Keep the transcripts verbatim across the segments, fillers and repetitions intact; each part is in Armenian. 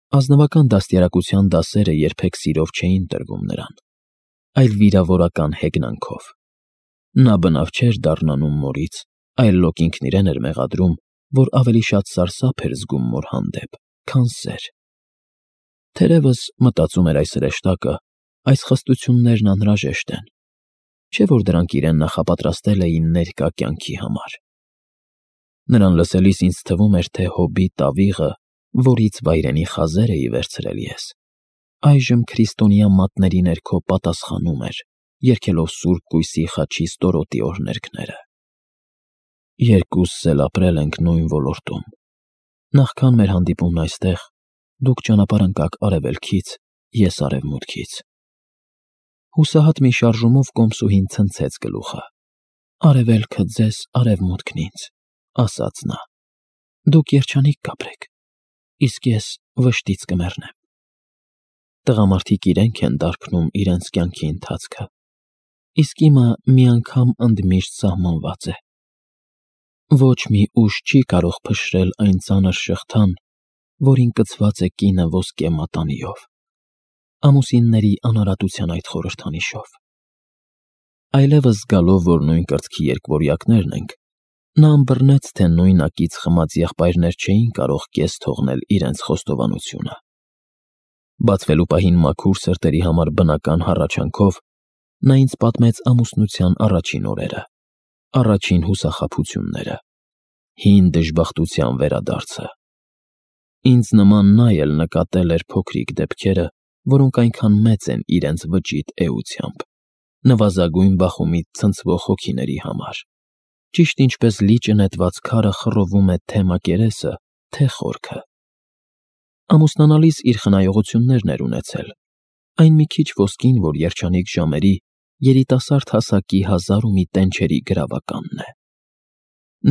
Ազնվական դաստիարակության դասերը երբեք սիրով չէին տրվում նրան, այլ վիրավորական հեգնանքով։ Նա բնավ չէր դառնանում մորից, այլ լոկ ինքն իրեն էր մեղադրում, որ ավելի շատ սարսափ էր զգում մոր հանդեպ, քան սեր։ Թերևս, մտածում էր այս հրեշտակը, այս խստություններն անհրաժեշտ են, չէ՞ որ դրանք իրեն նախապատրաստել էին ներկա կյանքի համար։ Նրան լսելիս ինձ թվում էր, թե Հոբի տավիղը, որից վայրենի խազեր էի վերցրել ես, այժմ քրիստոնյա մատների ներքո պատասխանում էր, երգելով Սուրբ Կույսի խաչի ստորոտի օրհներգները։ Երկուսս էլ ապրել ենք նույն ոլորտում։ Նախքան մեր հանդիպումն այստեղ, դուք ճանապարհ ընկաք արևելքից, ես արևմուտքից։ Հուսահատ մի շարժումով կոմսուհին ցնցեց գլուխը։ Արևելքը ձեզ, արևմուտքն ինձ, ասաց նա։ Դուք երջանիկ կապրեք, իսկ ես վշտից կմեռնեմ։ Տղամարդիկ իրենք են դարբնում իրենց կյանքի ընթացքը, իսկ իմը միանգամ ընդմիշտ սահմանված է։ Ոչ մի ուժ չի կարող փշրել այն ծանր շղթան, որին կցված է կինը ոսկե մատանիով, ամուսինների անարատության այդ խորհրդանիշով։ Այլևս զգալով, որ նույն կրծքի երկվորյակներն ենք, նա ըմբռնեց, թե նույնակից խմած եղբայրներ չէին կարող կես թողնել իրենց խոստովանությունը։ Բացվելու պահին մաքուր սրտերի համար բնական հառաչանքով նա ինձ պատմեց ամուսնության առաջին օրերը, առաջին հուսախաբությունները, հին դժբախտության վերադարձը։ Ինձ նման նա էլ նկատել էր փոքրիկ դեպքերը, որոնք այնքան մեծ են իրենց վճիտ էությամբ, նվազագույն բախումից ցնցվող հոգիների համար, ճիշտ ինչպես լիճը նետված քարը խռովում է թե մակերեսը, թե խորքը։ Ամուսնանալիս իր խնայողություններն էր ունեցել, այն մի քիչ ոսկին, որ երջանիկ ժամերի երիտասարդ հասակի հազար ու մի տենչերի գրավականն է։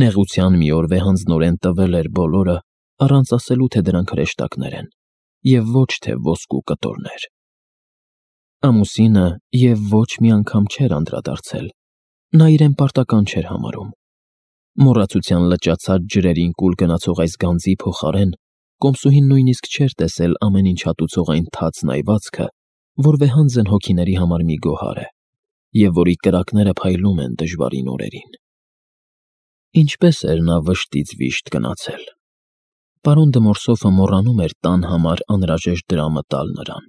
Նեղության մի օր վեհանձնորեն տվել էր բոլորը, առանց ասելու, թե դրանք հրեշտակներ են, և ոչ թե ոսկու կտորներ։ Ամուսինը և ոչ մի անգամ չէր անդրադարձել, նա իրեն պարտական չէր համարում։ Մոռացության լճացած ջրերին կուլ գնացող այս գանձի փոխարեն կոմսուհին նույնիսկ չէր տեսել ամեն ինչ հատուցող այն թացն այվածքը, որ վեհանձն հոգիների համար մի գոհար է, և որի կրակները փայլում են դժվարին օրերին։ Ինչպես էր նա վշտից վիշտ գնացել։ Պարոն Դմորսոֆը մոռանում էր տան համար անհրաժեշտ դրամը տալ նրան։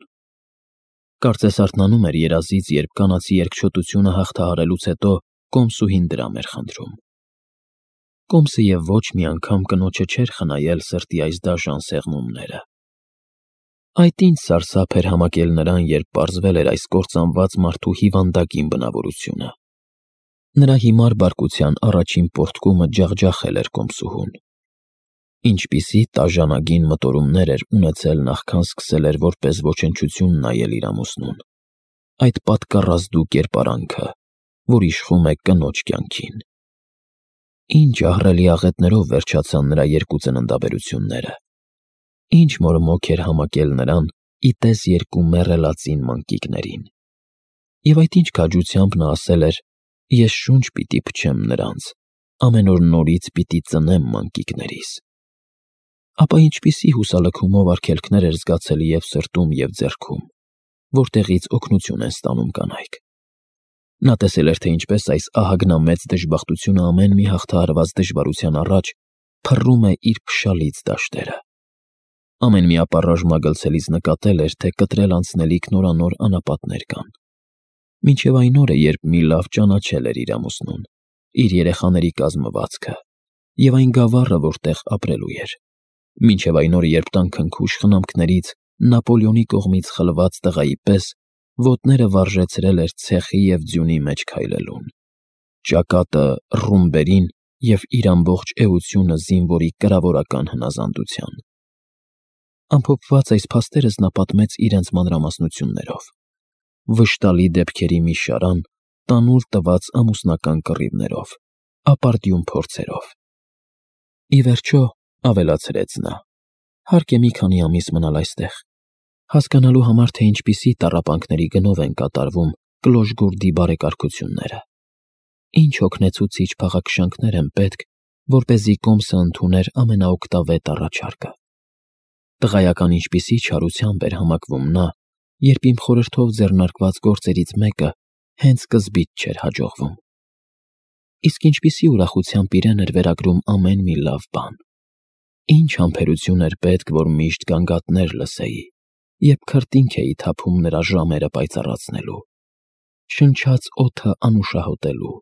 Կարծես արթնանում էր երազից, երբ կանացի երկչոտությունը հաղթահարելուց հետո կոմսուհին դրամ էր խնդրում։ Կոմսը և ոչ մի անգամ կնոջը չէր խնայել սրտի այս դաժան սեղմումները։ Այդ ինչ սարսափ էր համակել նրան, երբ պարզվել էր այս կործանված մարդու հիվանդագին բնավորությունը։ Նրա հիմար բարկության առաջին պոռթկումը ջախջախել էր կոմսուհուն։ Ինչպիսի տաժանագին մտորումներ էր ունեցել նախքան սկսել էր որպես ոչնչություն նայել իր ամուսնուն, այդ պատկառազդու կերպարանքը, որ իշխում է կնոջ կյանքին։ Ինչ ահռելի աղետներով վերջացան նրա երկու ծննդաբերությունները, ինչ մորմոք էր համակել նրան ի տես երկու մեռելածին մանկիկներին։ Եվ այդ ինչ քաջությամբ նա ասել էր. «Ես շունչ պիտի փչեմ նրանց, ամեն օր նորից պիտի ծնեմ մանկիկներիս»։ Ապա ինչպիսի հուսալքումով արգելքներ էր զգացել և սրտում, և ձեռքում, որտեղից օգնություն են ստանում կանայք։ Նա տեսել էր, թե ինչպես այս ահագնամեծ դժբախտությունը ամեն մի հաղթահարված դժվարության առաջ փռում է իր փշալից դաշտերը։ Ամեն մի ապառաժ մագլցելիս նկատել էր, թե կտրել անցնելիք նորանոր անապատներ կան։ Մինչև այն օրը, երբ մի լավ ճանաչել էր իր ամուսնուն, իր երեխաների կազմվածքը և այն գավառը, որտեղ ապրելու էր։ Մինչև այն օրը, երբ տան քնքուշ խնամքներից Նապոլեոնի կողմից խլված տղայի պես ոտները վարժեցրել էր ցեխի և ձյունի մեջ քայլելուն, ճակատը ռումբերին և իր ամբողջ էությունը զինվորի կրավորական հնազանդության։ Ամփոփված այս փաստերս նա պատմեց իրենց մանրամասնություններով։ Վշտալի դեպքերի մի շարան, տանուլ տված ամուսնական կռիվներով, ապարդյուն փորձերով։ Ի վերջո, ավելացրեց նա, հարկ է մի քանի ամիս մնալ այստեղ, հասկանալու համար, թե ինչպիսի տառապանքների գնով են կատարվում Կլոժգորդի բարեկարգությունները, ինչ հոգնեցուցիչ փաղաքշանքներ են պետք, որպեսզի կոմսը ընդուներ ամենաօգտավետ առաջարկը։ Տղայական ինչպիսի չարությամբ էր համակվում նա, երբ իմ խորհրդով ձեռնարկված գործերից մեկը հենց սկզբից չէր հաջողվում։ Իսկ ինչպիսի ուրախությամբ իրեն էր վերագրում ամեն մի լավ բան։ Ինչ համբերություն էր պետք, որ միշտ գանգատներ լսեի, երբ քրտինք էի թափում նրա ժամերը պայծառացնելու, շնչած օդը անուշահոտելու,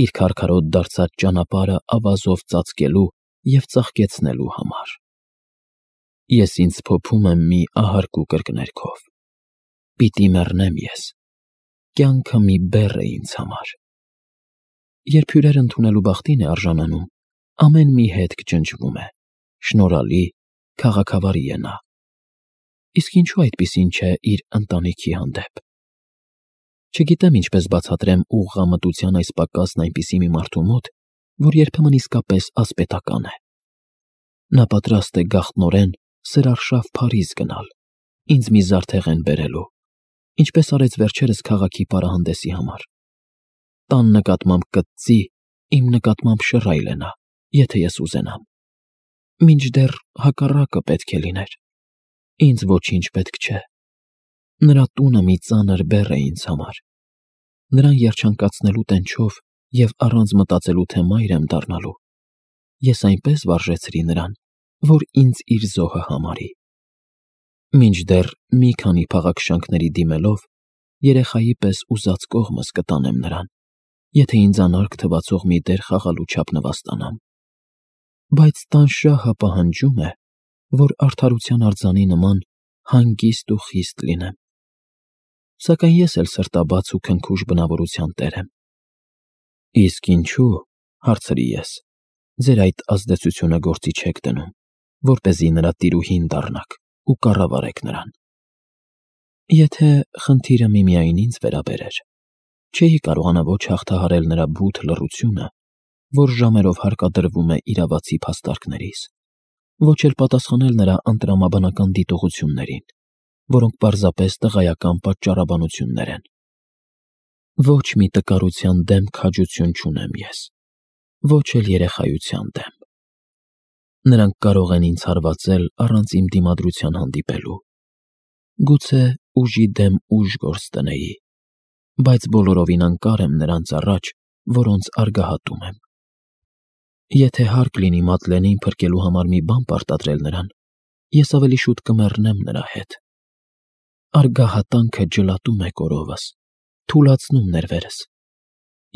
իր քարքարոտ դարձած ճանապարհը ավազով ծածկելու և ծաղկեցնելու համար։ Ես ինձ փոփում եմ մի ահարկու կրկներգով. պիտի մեռնեմ ես, կյանքը մի բեռ է ինձ համար։ Երբ հյուրեր ընդունելու բախտին է արժանանում, ամեն մի հետք ջնջվում է, շնորհալի, քաղաքավարի է նա։ Իսկ ինչու այդպիսին չէ իր ընտանիքի հանդեպ։ Չգիտեմ ինչպես բացատրեմ ուղղամտության այս պակասն այնպիսի մի մարդու մոտ, որ երբեմն իսկապես ասպետական է։ Նա պատրաստ է գաղտնորեն սրարշավ Փարիզ գնալ, ինձ մի զարդեղեն բերելու, ինչպես արեց վերջերս քաղաքի պարահանդեսի համար։ Տան նկատմամբ կծծի, իմ նկատմամբ շռայլ է նա, եթե ես ուզենամ։ Մինչդեռ հակառակը պետք է լիներ։ Ինձ ոչինչ պետք չէ։ Նրա տունը մի ծանր բեռ է ինձ համար։ Նրան երջանկացնելու տենչով և առանց մտածելու, թե մայր եմ դառնալու, ես այնպես վարժեցրի նրան, որ ինձ իր զոհը համարի։ Մինչդեռ մի քանի փաղաքշանքների դիմելով, երեխայի պես ուզած կողմս կտանեմ նրան, եթե ինձ անարգ թվացող մի դեր խաղալու չափ նվաստանամ։ Բայց տան շահը պահանջում է, որ արդարության արձանի նման հանգիստ ու խիստ լինեմ։ Սակայն ես էլ սրտաբաց ու քնքուշ բնավորության տեր եմ։ Իսկ ինչու, հարցրի ես, ձեր այդ ազդեցությունը գործի չեք դնում, որպեսզի նրա տիրուհին դառնաք ու կառավարեք նրան։ Եթե խնդիրը միմիայն ինձ վերաբերեր, չէի կարողանա ոչ հաղթահարել նրա բութ լռությունը, որ ժամերով հարկադրվում է իրավացի փաստարկներիս, ոչ էլ պատասխանել նրա ընտրամաբանական դիտողություններին, որոնք պարզապես տղայական պատճառաբանություններ են։ Ոչ մի տկարության դեմ քաջություն չունեմ ես, ոչ էլ երեխայության դեմ։ Նրանք կարող են ինձ հարվածել առանց իմ դիմադրության հանդիպելու։ Գուցե ուժի դեմ ուժ գործ դնեի, բայց բոլորովին անկար եմ նրանց առաջ, որոնց արգահատում եմ։ Եթե հարկ լինի Մադլենին փրկելու համար մի բան պարտադրել նրան, ես ավելի շուտ կմեռնեմ նրա հետ։ Արգահատանքը ջլատում է կորովս, թուլացնում ներվերս,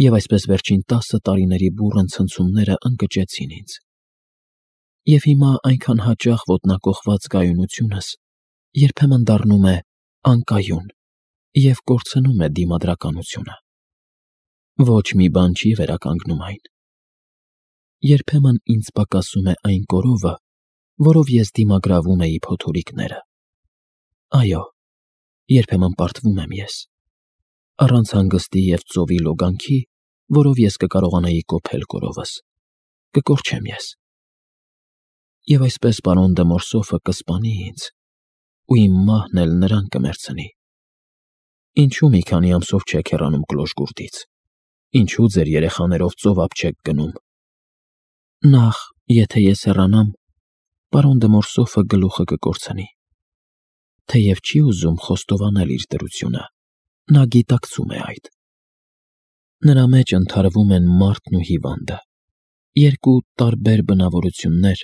և այսպես վերջին տասը տարիների բուռն ցնցումները ընկճեցին ինձ։ Եվ հիմա այնքան հաճախ ոտնակոխված կայունությունս երբեմն դառնում է անկայուն և կորցնում է դիմադրականությունը։ Ոչ մի բան չի վերականգնում այն։ Երբեմն ինձ պակասում է այն կորովը, որով ես դիմագրավում էի փոթորիկները։ Այո, երբեմն պարտվում եմ ես, առանց հանգստի և ծովի լոգանքի, որով ես կկարողանայի կոփել կորովս, կկորչեմ ես։ Եվ այսպես պարոն դը Մորսոֆը կսպանի ինձ, ու իմ մահն էլ նրան կմեռցնի։ Ինչու մի քանի ամսով չեք հեռանում Կլոշգուրդից, ինչու ձեր երեխաներով ծովափ չեք գնում։ Նախ, եթե ես հեռանամ, պարոն դը Մորսոֆը գլուխը կկորցնի։ Թեև չի ուզում խոստովանել իր դրությունը, նա գիտակցում է այդ։ Նրա մեջ ընդհարվում են մարդն ու հիվանդը, երկու տարբեր բնավորություններ,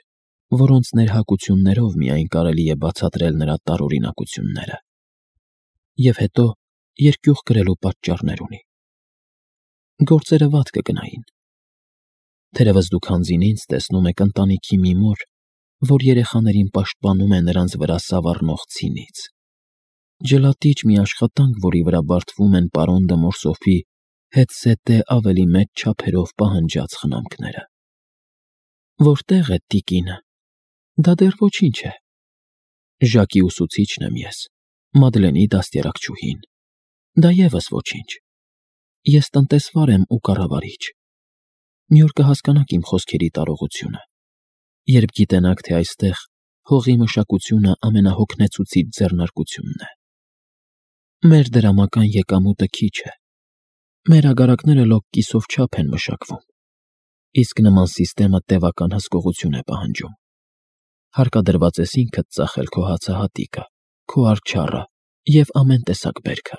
որոնց ներհակություններով միայն կարելի է բացատրել նրա տարօրինակությունները։ Եվ հետո երկյուղ կրելու պատճառներ ունի։ Գործերը վատ կգնային։ Թերևս դուք հանձին ինձ տեսնում եք ընտանիքի մի մոր, որ երեխաներին պաշտպանում է նրանց վրա սավառնող ցինից։ Ջլատիչ մի աշխատանք, որի վրա բարդվում են պարոն դը Մորսոֆի հետզհետե ավելի մեծ չափերով պահանջած խնամքները։ Որտե՞ղ է տիկինը։ Դա դեռ ոչինչ է։ Ժակի ուսուցիչն եմ ես, Մադլենի դաստիարակչուհին։ Դա ևս ոչինչ։ Ես տնտեսվար եմ ու կառավարիչ։ Մի օր կհասկանաք իմ խոսքերի տարողությունը, երբ գիտենաք, թե այստեղ հողի մշակությունը ամենահոգնեցուցիչ ձեռնարկությունն է։ Մեր դրամական եկամուտը քիչ է։ Մեր ագարակները լոկ կիսով չափ են մշակվում, իսկ նման սիստեմը տևական հսկողություն է պահանջում։ հարկադրված ես ինքդ ծախել քո հացահատիկը, քո արջառը և ամեն տեսակ բերքը։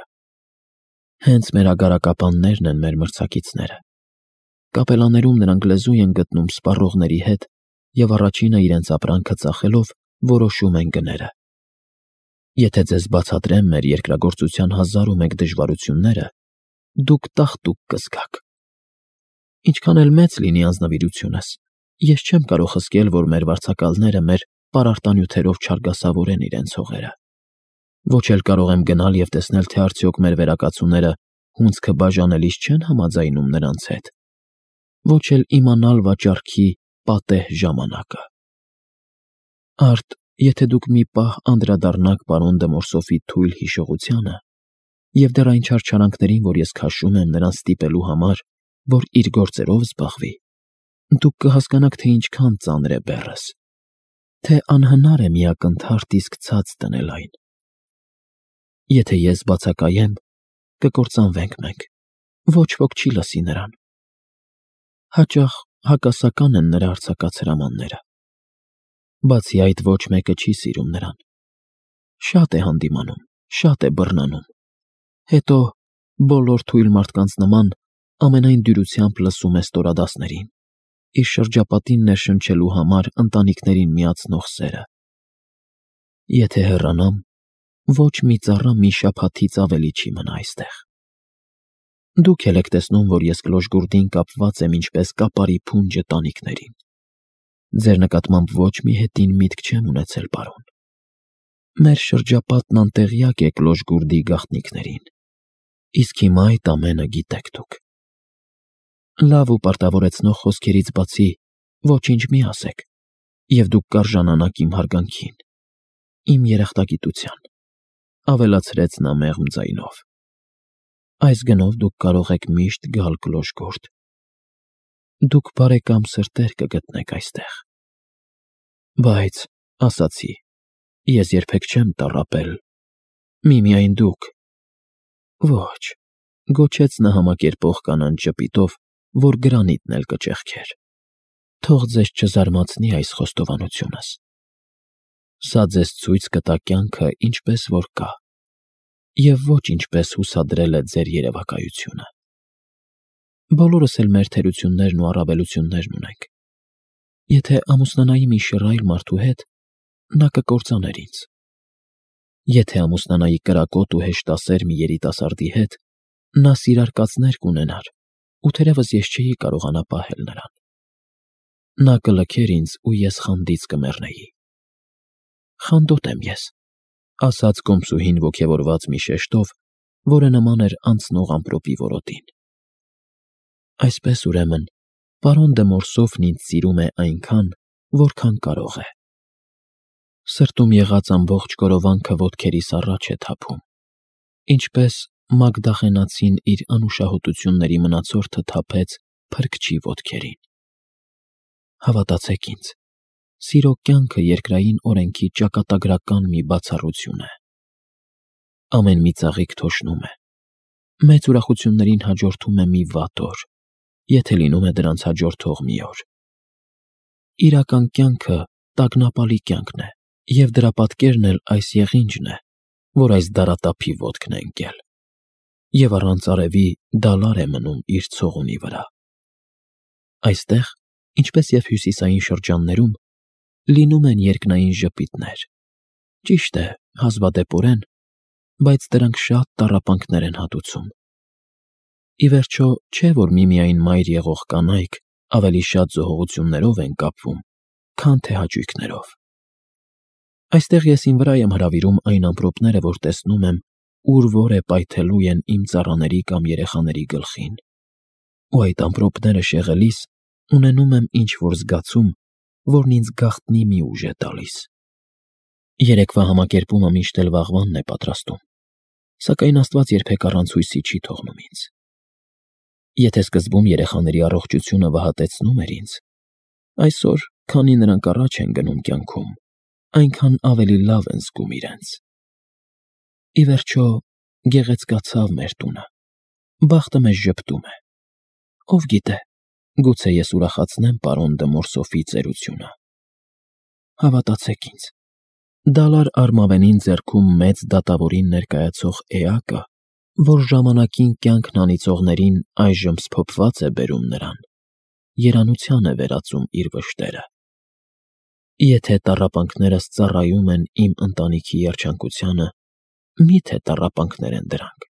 Հենց մեր ագարակապաններն են մեր մրցակիցները։ Կապելաներում նրանք լեզու են գտնում սպառողների հետ և առաջինը իրենց ապրանքը ծախելով որոշում են գները։ Եթե ձեզ բացատրեմ մեր երկրագործության հազար ու մեկ դժվարությունները, դուք տաղտուկ կզգաք։ Ինչքան էլ մեծ լինի անձնվիրությունս, ես չեմ կարող հսկել, որ մեր վարձակալները մեր պարարտանյութերով չարգասավորեն իրենց հողերը։ Ոչ էլ կարող եմ գնալ և տեսնել, թե արդյոք մեր վերակացուները հունձքը բաժանելիս չեն համաձայնում նրանց հետ, ոչ էլ իմանալ վաճառքի պատեհ ժամանակը։ Արդ, եթե դուք մի պահ անդրադառնաք պարոն դը Մորսոֆի թույլ հիշողությանը և դեռ այն չարչարանքներին, որ ես քաշում եմ նրան ստիպելու համար, որ իր գործերով զբաղվի, դուք կհասկանաք, թե ինչքան ծանր է բեռս, թե անհնար է մի ակնթարթ իսկ ցած դնել այն։ Եթե ես բացակայեմ, կկործանվենք մենք, ոչ ոք չի լսի նրան։ Հաճախ հակասական են նրա արձակած հրամանները։ Բացի այդ, ոչ մեկը չի սիրում նրան։ Շատ է հանդիմանում, շատ է բռնանում։ Հետո, բոլոր թույլ մարդկանց նման, ամենայն դյուրությամբ լսում է ստորադասներին, իր շրջապատին ներշնչելու համար ընտանիքներին միացնող սերը։ Եթե հեռանամ, ոչ մի ծառա մի շաբաթից ավելի չի մնա այստեղ։ Դուք էլ եք տեսնում, որ ես կլոժգուրդին կապված եմ ինչպես կապարի փունջը տանիքներին։ Ձեր նկատմամբ ոչ մի հետին միտք չեմ ունեցել, պարոն։ Մեր շրջապատն անտեղյակ է կլոժգուրդի գաղտնիքներին, իսկ հիմա այդ ամենը գիտեք դուք։ Լավ ու պարտավորեցնող խոսքերից բացի ոչինչ մի ասեք, և դուք կարժանանաք իմ հարգանքին, իմ երախտագիտության, ավելացրեց նա մեղմ ձայնով։ Այս գնով դուք կարող եք միշտ գալ կլոժգուրդ։ Դուք բարեկամ սրտեր կգտնեք այստեղ։ Բայց, ասացի, ես երբեք չեմ տառապել, միմիայն դուք։ Ոչ, գոչեց նա համակերպող կանանչ ժպիտով, որ գրանիտն էլ կճեղքեր։ Թող ձեզ չզարմացնի այս խոստովանությունս։ Սա ձեզ ցույց կտա կյանքը ինչպես որ կա, և ոչ ինչպես հուսադրել է ձեր երևակայությունը։ Բոլորս էլ մեր թերություններն ու առավելություններն ունենք։ Եթե ամուսնանայի մի շռայլ մարդու հետ, նա կկործաներ ինձ։ Եթե ամուսնանայի կրակոտ ու հեշտասեր մի երիտասարդի հետ, նա սիրարկածներ կունենար, ու թերևս ես չէի կարողանա պահել նրան։ Նա կլքեր ինձ, ու ես խանդից կմեռնեի։ Խանդոտ եմ ես, ասաց կոմսուհին ոգևորված մի շեշտով, որը նման էր անցնող ամպրոպի որոտին։ Այսպես, ուրեմն, պարոն դը Մորսոֆն ինձ սիրում է այնքան, որքան կարող է։ Սրտում եղած ամբողջ կորովանքը ոտքերիս առաջ է թափում, ինչպես Մագդաղենացին իր անուշահոտությունների մնացորդը թափեց փրկչի ոտքերին։ Հավատացեք ինձ, սիրո կյանքը երկրային օրենքի ճակատագրական մի բացառություն է։ Ամեն մի ծաղիկ թոշնում է, մեծ ուրախություններին հաջորդում է մի վատ օր, եթե լինում է դրանց հաջորդող մի օր։ Իրական կյանքը տագնապալի կյանքն է, և դրա պատկերն էլ այս եղինջն է, որ այս դարատափի ոտքն է ընկել, և առանց արևի դալար է մնում իր ցողունի վրա։ Այստեղ, ինչպես և հյուսիսային շրջաններում, լինում են երկնային ժպիտներ, ճիշտ է, հազվադեպորեն, բայց դրանք շատ տառապանքներ են հատուցում։ Ի վերջո, չէ՞ որ միմիայն մայր եղող կանայք ավելի շատ զոհողություններով են կապվում, քան թե հաճույքներով։ Այստեղ ես իմ վրա եմ հրավիրում այն ամպրոպները, որ տեսնում եմ, ուր որ է պայթելու են իմ ծառաների կամ երեխաների գլխին, ու այդ ամպրոպները շեղելիս ունենում եմ ինչ-որ զգացում, որն ինձ գաղտնի մի ուժ է տալիս։ Երեկվա համակերպումը միշտ էլ վաղվանն է պատրաստում, սակայն Աստված երբեք առանց հույսի չի թողնում ինձ։ Եթե սկզբում երեխաների առողջությունը վհատեցնում էր ինձ, այսօր, քանի նրանք առաջ են գնում կյանքում, այնքան ավելի լավ են զգում իրենց։ Ի վերջո, գեղեցկացավ մեր տունը, բախտը մեզ ժպտում է։ Ով գիտե, գուցե ես ուրախացնեմ պարոն դը Մորսոֆի ծերությունը։ Հավատացեք ինձ, դալար արմավենին ձեռքում մեծ դատավորին ներկայացող էակը, որ ժամանակին կյանքն անիծողներին այժմ սփոփված է բերում նրան, երանության է վերածում իր վշտերը։ Եթե տառապանքներս ծառայում են իմ ընտանիքի երջանկությանը, մի՞թե տառապանքներ են դրանք։